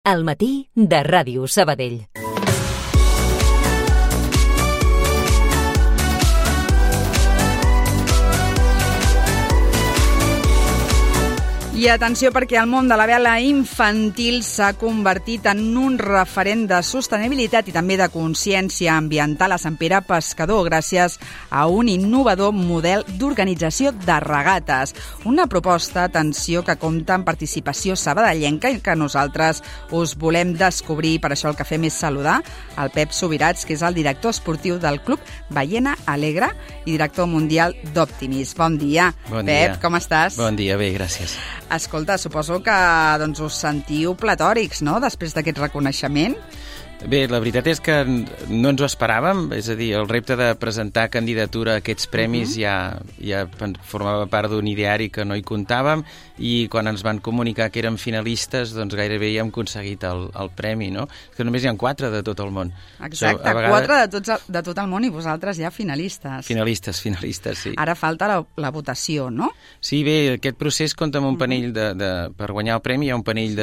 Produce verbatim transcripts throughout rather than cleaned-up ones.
Al matí de Ràdio Sabadell. I atenció, perquè el món de la vela infantil s'ha convertit en un referent de sostenibilitat i també de consciència ambiental a Sant Pere Pescador gràcies a un innovador model d'organització de regates. Una proposta, atenció, que compta amb participació sabadellenca i que nosaltres us volem descobrir. Per això el que fem és saludar el Pep Subirats, que és el director esportiu del Club Ballena Alegre i director mundial d'Optimis. Bon dia, bon Pep, dia. Com estàs? Bon dia, bé, gràcies. Escolta, suposo que doncs, us sentiu platòrics, no?, després d'aquest reconeixement. Bé, la veritat és que no ens ho esperàvem, és a dir, el repte de presentar candidatura a aquests premis uh-huh. ja, ja formava part d'un ideari que no hi comptàvem, i quan ens van comunicar que érem finalistes, doncs gairebé ja hem aconseguit el, el premi, no? Que només hi ha quatre de tot el món. Exacte, so, vegades... quatre de, tots, de tot el món i vosaltres ja finalistes. Finalistes, finalistes, sí. Ara falta la, la votació, no? Sí, bé, aquest procés compta amb un panell de, de... Per guanyar el premi hi ha un panell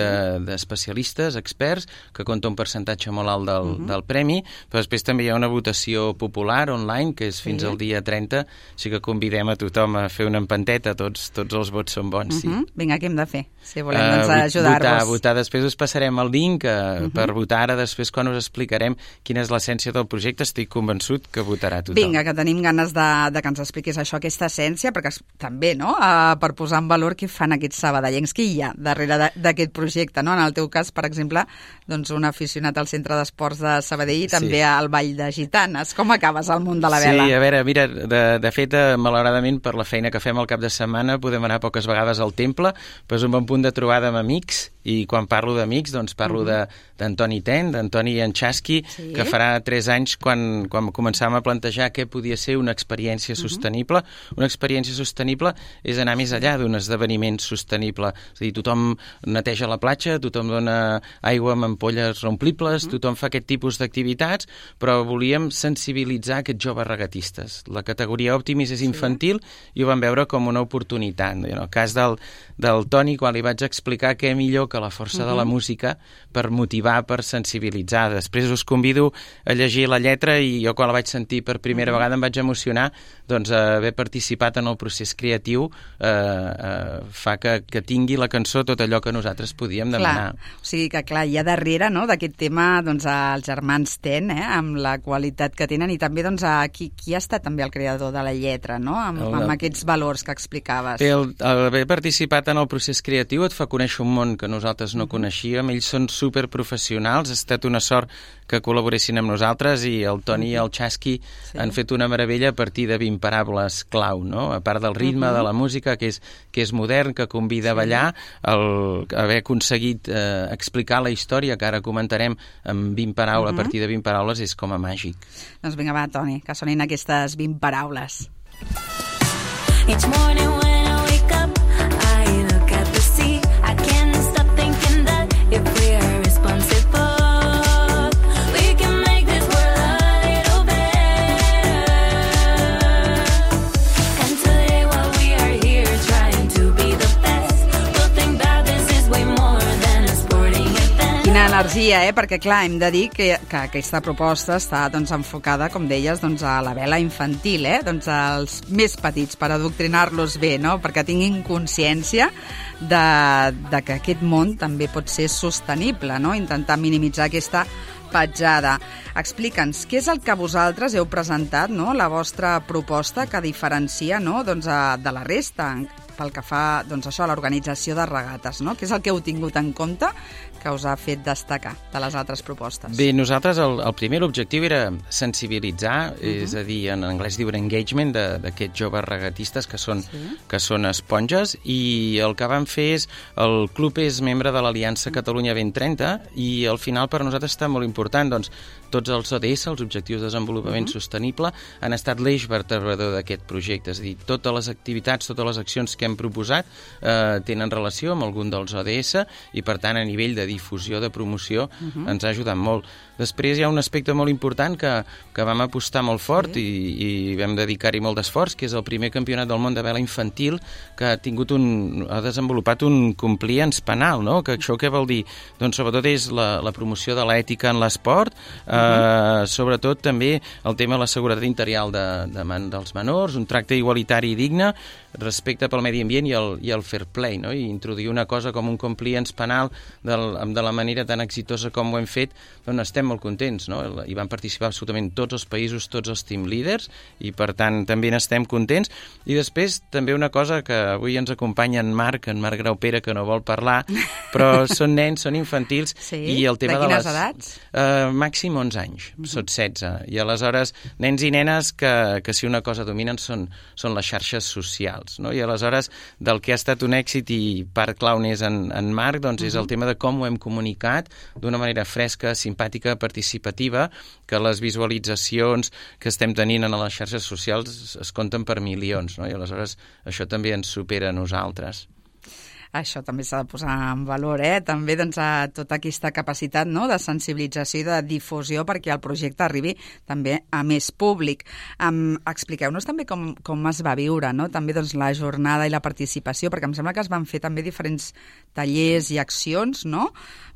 d'especialistes, de, experts, que compta un percentatge molt alt del, uh-huh. del premi, però després també hi ha una votació popular online, que és fins sí. al dia trenta, així que convidem a tothom a fer una empanteta, tots, tots els vots són bons, uh-huh. sí. Vinga, què hem de fer? Si volem doncs, uh, ajudar-vos. Votar, votar, després us passarem el link uh, uh-huh. per votar, ara després quan us explicarem quina és l'essència del projecte, estic convençut que votarà tothom. Vinga, que tenim ganes de, de que ens expliquis això, aquesta essència, perquè també, no?, uh, per posar en valor què fan aquests sabadellencs, què hi ha darrere d'aquest projecte, no? En el teu cas, per exemple, doncs un aficionat al centre d'esports de Sabadell i també sí. al Ball de Gitanes. Com acabes al món de la vela? Sí, a veure, mira, de, de fet, malauradament, per la feina que fem al cap de setmana, podem anar poques vegades al temple, però és un bon punt de trobada amb amics, i quan parlo d'amics, doncs parlo uh-huh. d'Antoni Ten, d'Antoni Anchaski, sí. que farà tres anys quan, quan començàvem a plantejar què podia ser una experiència uh-huh. sostenible. Una experiència sostenible és anar més enllà d'un esdeveniment sostenible. És a dir, tothom neteja la platja, tothom dona aigua amb ampolles reomplibles, uh-huh. tothom fa aquest tipus d'activitats, però volíem sensibilitzar aquests joves regatistes. La categoria Optimis és infantil sí. i ho vam veure com una oportunitat. En el cas del, del Toni, quan li vaig explicar què millor que la força uh-huh. de la música per motivar, per sensibilitzar. Després us convido a llegir la lletra i jo quan la vaig sentir per primera uh-huh. vegada em vaig emocionar, doncs haver participat en el procés creatiu eh, eh, fa que, que tingui la cançó tot allò que nosaltres podíem demanar. Clar. O sigui que, clar, hi ha darrere, no?, d'aquest tema doncs, els germans Ten, eh, amb la qualitat que tenen, i també doncs, a qui, qui ha estat també el creador de la lletra, no?, amb, el, amb aquests valors que explicaves. El, el haver participat en el procés creatiu et fa conèixer un món que nosaltres no coneixíem, ells són superprofessionals, ha estat una sort que col·laboressin amb nosaltres, i el Toni i el Chaski sí. han fet una meravella a partir de vint paraules clau, no? A part del ritme, uh-huh. de la música, que és, que és modern, que convida sí. a ballar, el, haver aconseguit eh, explicar la història, que ara comentarem amb vint paraules, uh-huh. a partir de vint paraules, és com a màgic. Doncs vinga, va, Toni, que sonin aquestes vint paraules. Each morning when I wake up, I look at the sea. I can't stop thinking that if we are responsible, we can make this world a little better. And today while we are here trying to be the best, we'll think that this is way more than a sporting event. Quina energia, eh? Perquè, clar, hem de dir que, que aquesta proposta està doncs, enfocada, com deies, doncs, a la vela infantil, eh? Doncs als més petits, per adoctrinar-los bé, no?, perquè tinguin consciència de, de que aquest món també pot ser sostenible, no?, intentar minimitzar aquesta petjada. Explica'ns, què és el que vosaltres heu presentat, no?, la vostra proposta que diferencia, no?, doncs, de la resta pel que fa doncs, això, a l'organització de regates, no? Què és el que heu tingut en compte que us ha fet destacar de les altres propostes? Bé, nosaltres el, el primer objectiu era sensibilitzar, uh-huh. és a dir, en anglès diuen engagement, d'aquests joves regatistes que són, sí. que són esponges, i el que vam fer és, el club és membre de l'Aliança Catalunya vint trenta, i al final per nosaltres està molt important, doncs, tots els O D S, els Objectius de Desenvolupament uh-huh. Sostenible, han estat l'eix vertebrador d'aquest projecte. És a dir, totes les activitats, totes les accions que hem proposat eh, tenen relació amb algun dels O D S, i per tant a nivell de difusió, de promoció, uh-huh. ens ha ajudat molt. Després hi ha un aspecte molt important que, que vam apostar molt fort sí. i, i vam dedicar-hi molt d'esforç, que és el primer campionat del món de vela infantil que ha tingut un, ha desenvolupat un compliance penal, no? Que això què vol dir? Doncs sobretot és la, la promoció de l'ètica en l'esport, eh, uh-huh. sobretot també el tema de la seguretat interior de, de man, dels menors, un tracte igualitari i digne, respecte pel medi ambient i el, i el fair play, no? I introduir una cosa com un compliance penal del, de la manera tan exitosa com ho hem fet, doncs estem molt contents, no? Hi van participar absolutament tots els països, tots els team leaders, i per tant també n'estem contents. I després també una cosa que avui ens acompanya en Marc, en Marc Graupera, que no vol parlar, però són nens, són infantils, sí? I el tema de, de les... edats? Uh, màxim onze anys, uh-huh. Són setze, i aleshores nens i nenes que, que si una cosa dominen són, són les xarxes socials. No? I aleshores, del que ha estat un èxit i part clau n'és en, en Marc, doncs uh-huh. és el tema de com ho hem comunicat d'una manera fresca, simpàtica, participativa, que les visualitzacions que estem tenint en les xarxes socials es compten per milions, no? I aleshores això també ens supera a nosaltres. Això també s'ha de posar en valor, eh? També doncs, a tota aquesta capacitat, no?, de sensibilització i de difusió perquè el projecte arribi també a més públic. Um, expliqueu-nos també com, com es va viure, no?, també doncs, la jornada i la participació, perquè em sembla que es van fer també diferents tallers i accions, no?,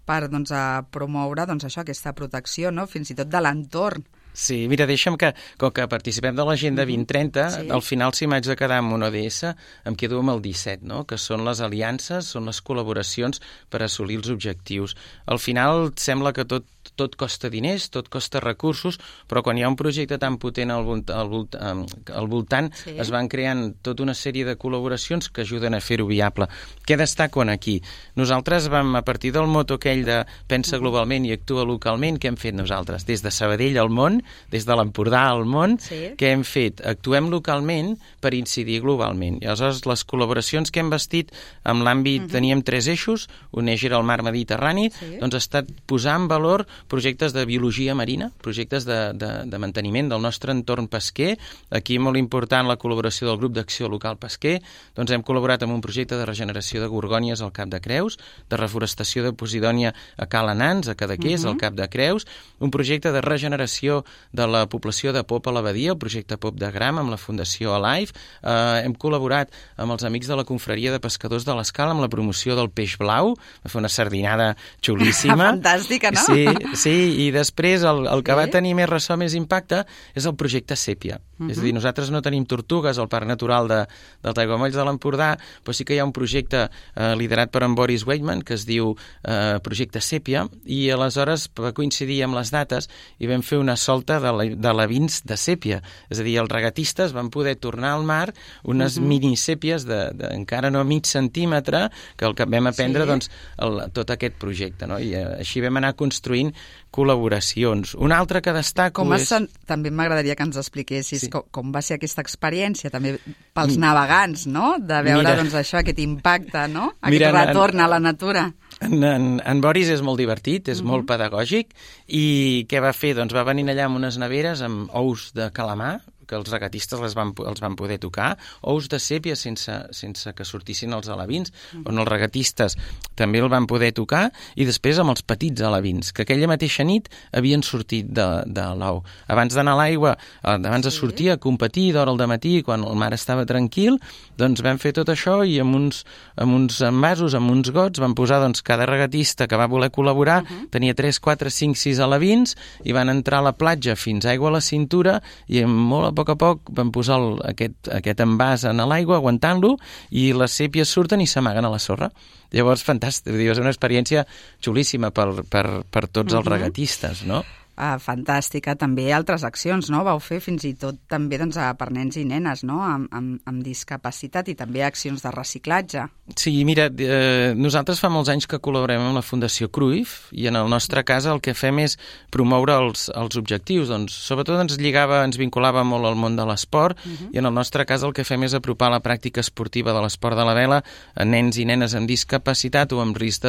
per doncs, a promoure doncs, això, aquesta protecció, no?, fins i tot de l'entorn. Sí, mira, deixa'm que, com que participem de l'Agenda vint trenta, sí. Al final, si m'haig de quedar amb un O D S, em quedo amb el disset, no?, que són les aliances, són les col·laboracions per assolir els objectius. Al final, sembla que tot, tot costa diners, tot costa recursos, però quan hi ha un projecte tan potent al, volt, al, volt, al voltant, sí. Es van creant tota una sèrie de col·laboracions que ajuden a fer-ho viable. Què destaco aquí? Nosaltres vam, a partir del moto aquell de pensa globalment i actua localment, què hem fet nosaltres? Des de Sabadell al món, des de l'Empordà al món, sí. Què hem fet? Actuem localment per incidir globalment. I aleshores les col·laboracions que hem vestit en l'àmbit, uh-huh. teníem tres eixos, un eix era el mar Mediterrani, sí. Doncs ha estat posar en valor projectes de biologia marina, projectes de, de, de manteniment del nostre entorn pesquer. Aquí molt important la col·laboració del grup d'acció local pesquer, doncs hem col·laborat amb un projecte de regeneració de gorgònies al Cap de Creus, de reforestació de Posidònia a Cala Nans, a Cadaqués, uh-huh. al Cap de Creus, un projecte de regeneració de la població de Pop a l'Abadia, el projecte Pop de Gram, amb la Fundació Alive. Eh, hem col·laborat amb els amics de la Confraria de Pescadors de l'Escala amb la promoció del peix blau, va fer una sardinada xulíssima. Fantàstica, no? Sí, sí, i després el, el que sí? va tenir més ressò, més impacte, és el projecte Sèpia. Uh-huh. És a dir, nosaltres no tenim tortugues al Parc Natural de, dels Aiguamolls de l'Empordà, però sí que hi ha un projecte eh, liderat per en Boris Weidman, que es diu eh, Projecte Sèpia, i aleshores va coincidir amb les dates i vam fer una solta de, la, de lavins de sèpia. És a dir, els regatistes van poder tornar al mar unes uh-huh. mini-sèpies de, de encara no mig centímetre, que el que vam aprendre sí. doncs, el, tot aquest projecte. No? I eh, així vam anar construint col·laboracions. Un altre que destaco com és... Sen... També m'agradaria que ens expliquessis sí. com, com va ser aquesta experiència, també pels navegants, no? De veure Mira. doncs, això, aquest impacte, no? Aquest Mira, retorn en, a la natura. En, en, en Boris és molt divertit, és uh-huh. molt pedagògic, i què va fer? Doncs va venir allà amb unes neveres amb ous de calamar, que els regatistes les van, els van poder tocar, ous de sèpia sense, sense que sortissin els alevins, mm. on els regatistes també el van poder tocar, i després amb els petits alevins, que aquella mateixa nit havien sortit de, de l'ou. Abans d'anar a l'aigua, abans de sortir a competir d'hora al dematí, quan el mar estava tranquil, doncs vam fer tot això i amb uns, amb uns envasos, amb uns gots, van posar doncs, cada regatista que va voler col·laborar, uh-huh. tenia tres, quatre, cinc, sis alevins, i van entrar a la platja fins aigua a la cintura, i molt a poc a poc van posar el, aquest, aquest envàs en l'aigua, aguantant-lo, i les sèpies surten i s'amaguen a la sorra. Llavors, fantàstic, és una experiència xulíssima per, per, per tots els regatistes, no? Uh, fantàstica. També altres accions, no? Vau fer fins i tot també doncs, per nens i nenes, no? Amb, amb, amb discapacitat, i també accions de reciclatge. Sí, mira, eh, nosaltres fa molts anys que col·laborem amb la Fundació Cruyff, i en el nostre cas el que fem és promoure els, els objectius. Doncs, sobretot ens lligava, ens vinculava molt al món de l'esport, uh-huh. i en el nostre cas el que fem és apropar la pràctica esportiva de l'esport de la vela a nens i nenes amb discapacitat o amb risc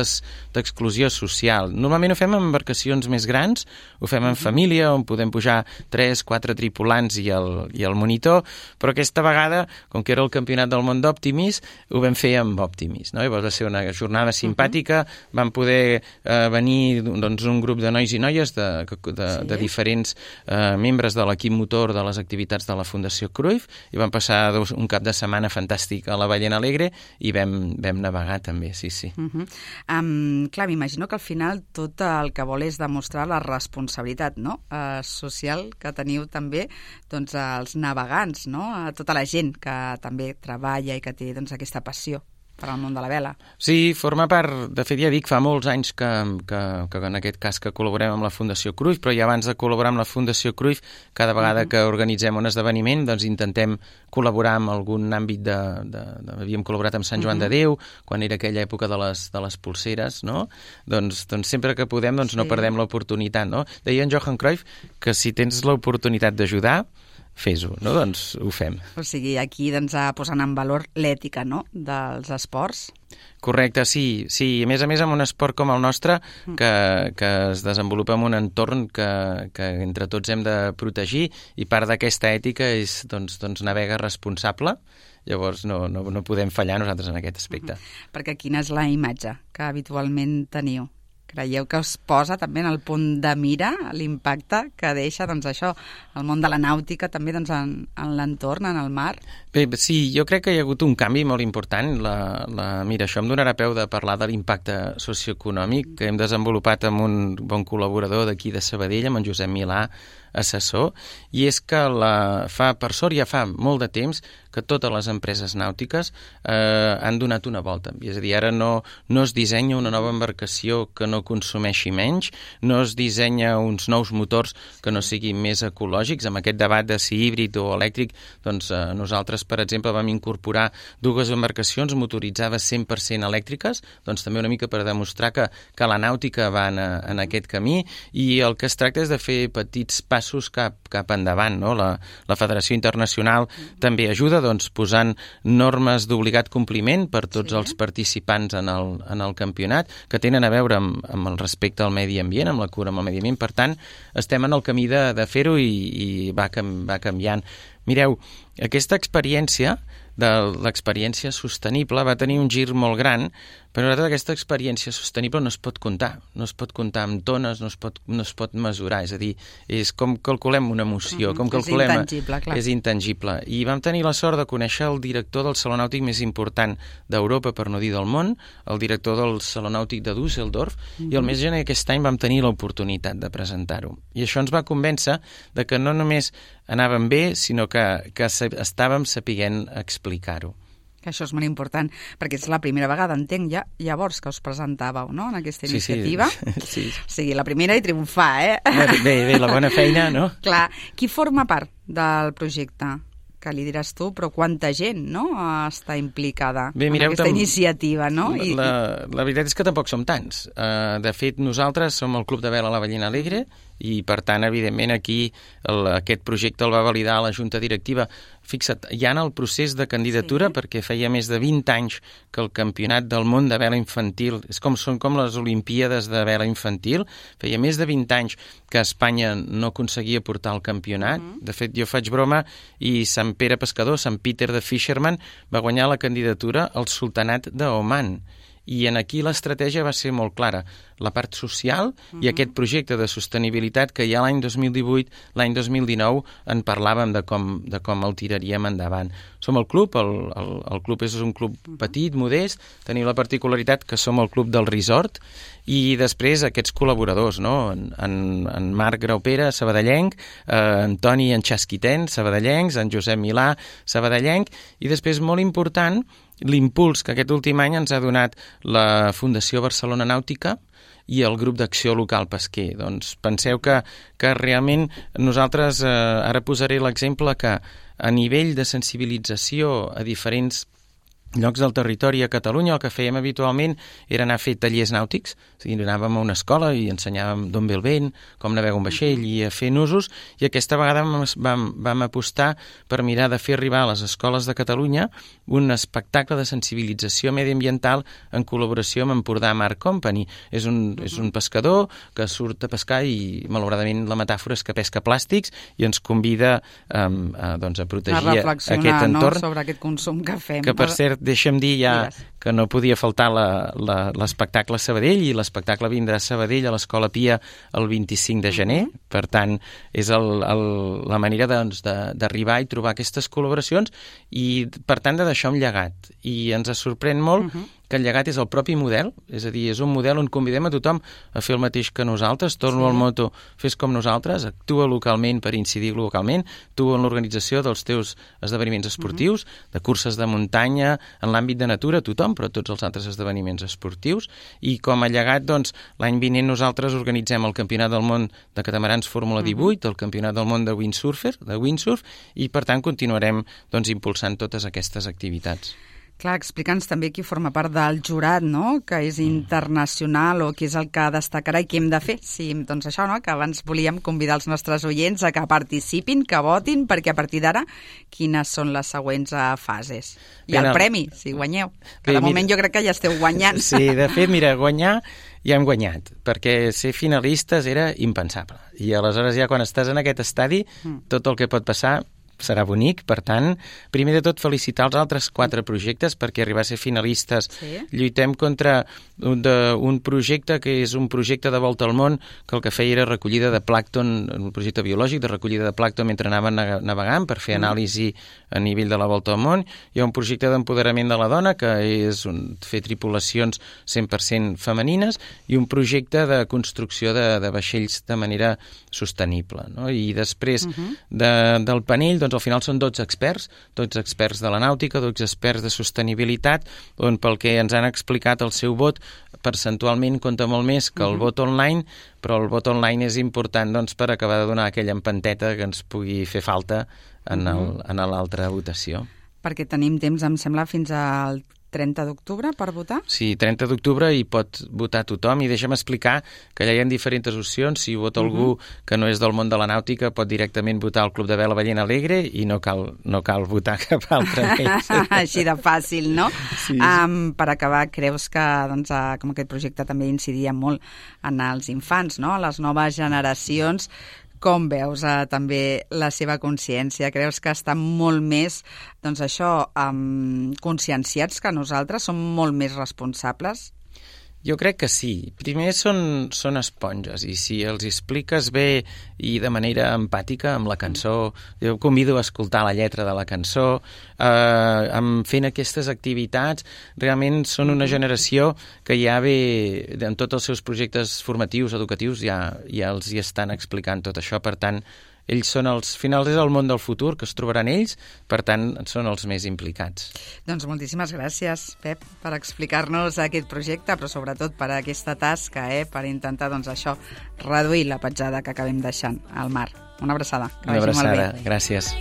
d'exclusió social. Normalment ho fem amb embarcacions més grans, ho fem fem en família, on podem pujar tres, quatre tripulants i el, i el monitor, però aquesta vegada, com que era el campionat del món d'Optimis, ho vam fer amb Optimis, no? Llavors va ser una jornada simpàtica, uh-huh. Vam poder eh, venir doncs, un grup de nois i noies de, de, de, sí. de diferents eh, membres de l'equip motor de les activitats de la Fundació Cruyff, i vam passar dos, un cap de setmana fantàstic a la Ballena Alegre i vam, vam navegar també, sí, sí. Uh-huh. Um, clar, m'imagino que al final tot el que vol és demostrar la responsabilitat, no? Uh, social que teniu també doncs, els navegants, no? A tota la gent que també treballa i que té doncs, aquesta passió per al món de la vela. Sí, forma part, de fet ja dic, fa molts anys que, que, que en aquest cas que col·laborem amb la Fundació Cruyff, però ja abans de col·laborar amb la Fundació Cruyff, cada vegada uh-huh. que organitzem un esdeveniment, doncs intentem col·laborar amb algun àmbit de... de, de havíem col·laborat amb Sant Joan uh-huh. de Déu, quan era aquella època de les, de les pulseres, no? Doncs, doncs sempre que podem doncs, sí. no perdem l'oportunitat, no? Deia en Johan Cruyff que si tens l'oportunitat d'ajudar, fes-ho, no? Doncs ho fem. O sigui, aquí doncs, posant en valor l'ètica, no?, dels esports. Correcte, sí, sí. A més a més, amb un esport com el nostre, que, que es desenvolupa en un entorn que, que entre tots hem de protegir, i part d'aquesta ètica és doncs, doncs navegar responsable. Llavors no, no, no podem fallar nosaltres en aquest aspecte. Uh-huh. Perquè quina és la imatge que habitualment teniu? Creieu que us posa també en el punt de mira l'impacte que deixa doncs, això, el món de la nàutica també doncs, en, en l'entorn, en el mar? Bé, sí, jo crec que hi ha hagut un canvi molt important. La, la, mira, això em donarà peu de parlar de l'impacte socioeconòmic que hem desenvolupat amb un bon col·laborador d'aquí de Sabadell, amb en Josep Milà, assessor, i és que la, fa, per sort ja fa molt de temps que totes les empreses nàutiques eh, han donat una volta. És a dir, ara no, no es dissenya una nova embarcació que no consumeixi menys, no es dissenya uns nous motors que no siguin més ecològics. Amb aquest debat de si híbrid o elèctric, doncs eh, nosaltres, per exemple, vam incorporar dues embarcacions motoritzades cent per cent elèctriques, doncs també una mica per demostrar que, que la nàutica va en, en aquest camí, i el que es tracta és de fer petits passos cap, cap endavant, no? La, la Federació Internacional també ajuda, doncs, posant normes d'obligat compliment per tots sí. els participants en el, en el campionat, que tenen a veure amb, amb el respecte al medi ambient, amb la cura amb el medi ambient. Per tant, estem en el camí de, de fer-ho i, i va, cam, va canviant. Mireu, aquesta experiència de l'experiència sostenible va tenir un gir molt gran, però nosaltres aquesta experiència sostenible no es pot comptar, no es pot comptar amb tones, no es pot, no es pot mesurar, és a dir, és com calculem una emoció, mm-hmm. com calculem... És intangible, clar. És intangible. I vam tenir la sort de conèixer el director del Saló Nàutic més important d'Europa, per no dir del món, el director del Saló Nàutic de Düsseldorf, mm-hmm. i el mes de gener d'aquest any vam tenir l'oportunitat de presentar-ho. I això ens va convèncer de que no només anàvem bé, sinó que, que estàvem sapiguent explicar-ho. Que això és molt important, perquè és la primera vegada, entenc, ja, llavors que us presentàveu, no?, en aquesta iniciativa. Sí, sí. O sigui, la primera i triomfar, eh? Bé, bé, la bona feina, no? Clar. Qui forma part del projecte? Que li diràs tu, però quanta gent, no?, està implicada Bé, mireu, en aquesta tam... iniciativa, no? La, la, la veritat és que tampoc som tants. Uh, de fet, nosaltres som el Club de Vela La Ballena Alegre, i, per tant, evidentment, aquí el, aquest projecte el va validar la Junta Directiva. Fixa't, ja en el procés de candidatura, sí. perquè feia més de vint anys que el Campionat del Món de Vela Infantil, és com, són com les Olimpíades de Vela Infantil, feia més de vint anys que Espanya no aconseguia portar el campionat. Uh-huh. De fet, jo faig broma, i Sant Pere Pescador, Sant Peter de Fisherman, va guanyar la candidatura al Sultanat d'Oman. I en aquí l'estratègia va ser molt clara. La part social uh-huh. i aquest projecte de sostenibilitat que ja l'any dos mil divuit, l'any dos mil dinou, en parlàvem de com, de com el tiraríem endavant. Som el club, el, el, el club és un club petit, modest, tenim la particularitat que som el club del resort, i després aquests col·laboradors, no? En, en, en Marc Graupera, sabadellenc, eh, en Toni en Xasquiten, sabadellencs, en Josep Milà, sabadellenc, i després, molt important, l'impuls que aquest últim any ens ha donat la Fundació Barcelona Nàutica i el grup d'acció local pesquer. Doncs penseu que, que realment nosaltres, eh, ara posaré l'exemple que a nivell de sensibilització a diferents llocs del territori a Catalunya. El que fèiem habitualment era anar a fer tallers nàutics, o sigui, anàvem a una escola i ensenyàvem d'on ve el vent, com navegar un vaixell i a fer nusos, i aquesta vegada vam, vam, vam apostar per mirar de fer arribar a les escoles de Catalunya un espectacle de sensibilització mediambiental en col·laboració amb Empordà Mar Company. És un, és un pescador que surt a pescar i, malauradament, la metàfora és que pesca plàstics i ens convida um, a, doncs, a protegir a aquest entorn. No? Sobre aquest consum que fem. Que, per cert, deixa'm dir ja Digues. que no podia faltar l'espectacle a Sabadell, i l'espectacle vindrà a Sabadell a l'Escola Pia el vint-i-cinc de gener. Uh-huh. Per tant, és el, el, la manera doncs, d'arribar i trobar aquestes col·laboracions i, per tant, de deixar un llegat. I ens sorprèn molt uh-huh. que el llegat és el propi model, és a dir, és un model on convidem a tothom a fer el mateix que nosaltres. Torno sí. al moto, fes com nosaltres, actua localment per incidir localment, tu en l'organització dels teus esdeveniments esportius, uh-huh. de curses de muntanya, en l'àmbit de natura, tothom, però tots els altres esdeveniments esportius. I com a llegat, doncs, l'any vinent nosaltres organitzem el Campionat del Món de Catamarans Fórmula divuit, uh-huh. el Campionat del Món de Windsurfer, de Windsurf, i per tant continuarem doncs, impulsant totes aquestes activitats. Clar, explica'ns també qui forma part del jurat, no?, que és internacional, o qui és el que destacarà i què hem de fer. Sí, doncs això, no?, que abans volíem convidar els nostres oients a que participin, que votin, perquè a partir d'ara quines són les següents fases. I Bé, el no. premi, si guanyeu. Que Bé, de moment mira... jo crec que ja esteu guanyant. Sí, de fet, mira, guanyar ja hem guanyat, perquè ser finalistes era impensable. I aleshores ja quan estàs en aquest estadi, mm. tot el que pot passar serà bonic. Per tant, primer de tot felicitar els altres quatre projectes, perquè arribar a ser finalistes sí. lluitem contra un, de, un projecte que és un projecte de volta al món, que el que feia era recollida de plàncton, un projecte biològic de recollida de plàncton mentre anaven navegant per fer anàlisi a nivell de la volta al món. Hi ha un projecte d'empoderament de la dona, que és un, fer tripulacions cent per cent femenines, i un projecte de construcció de, de vaixells de manera sostenible. No? I després uh-huh. de, del panell, doncs al final són dotze experts, dotze experts de la nàutica, dotze experts de sostenibilitat, on pel que ens han explicat el seu vot percentualment compta molt més que el uh-huh. vot online, però el vot online és important doncs, per acabar de donar aquella empenteta que ens pugui fer falta en uh-huh. l'altra votació. Perquè tenim temps, em sembla, fins al trenta d'octubre per votar? Sí, trenta d'octubre i pot votar tothom, i deixa'm explicar que allà hi ha diferents opcions. Si vota uh-huh. algú que no és del món de la nàutica, pot directament votar al Club de Vela Ballena Alegre i no cal, no cal votar cap altre més. Així de fàcil, no? Sí. Um, per acabar, creus que doncs, uh, com aquest projecte també incidia molt en els infants, no? Les noves generacions. Com veus eh, també la seva consciència? Creus que estan molt més, doncs això, um, conscienciats que nosaltres? Som molt més responsables? Jo crec que sí. Primer són, són esponges, i si els expliques bé i de manera empàtica amb la cançó, jo convido a escoltar la lletra de la cançó, eh, fent aquestes activitats, realment són una generació que ja ve, en tots els seus projectes formatius, educatius, ja, ja els hi estan explicant tot això. Per tant, ells són els finals, és el món del futur que es trobaran ells, per tant, són els més implicats. Doncs moltíssimes gràcies, Pep, per explicar-nos aquest projecte, però sobretot per aquesta tasca, eh, per intentar, doncs, això, reduir la petjada que acabem deixant al mar. Una abraçada. Una abraçada, gràcies.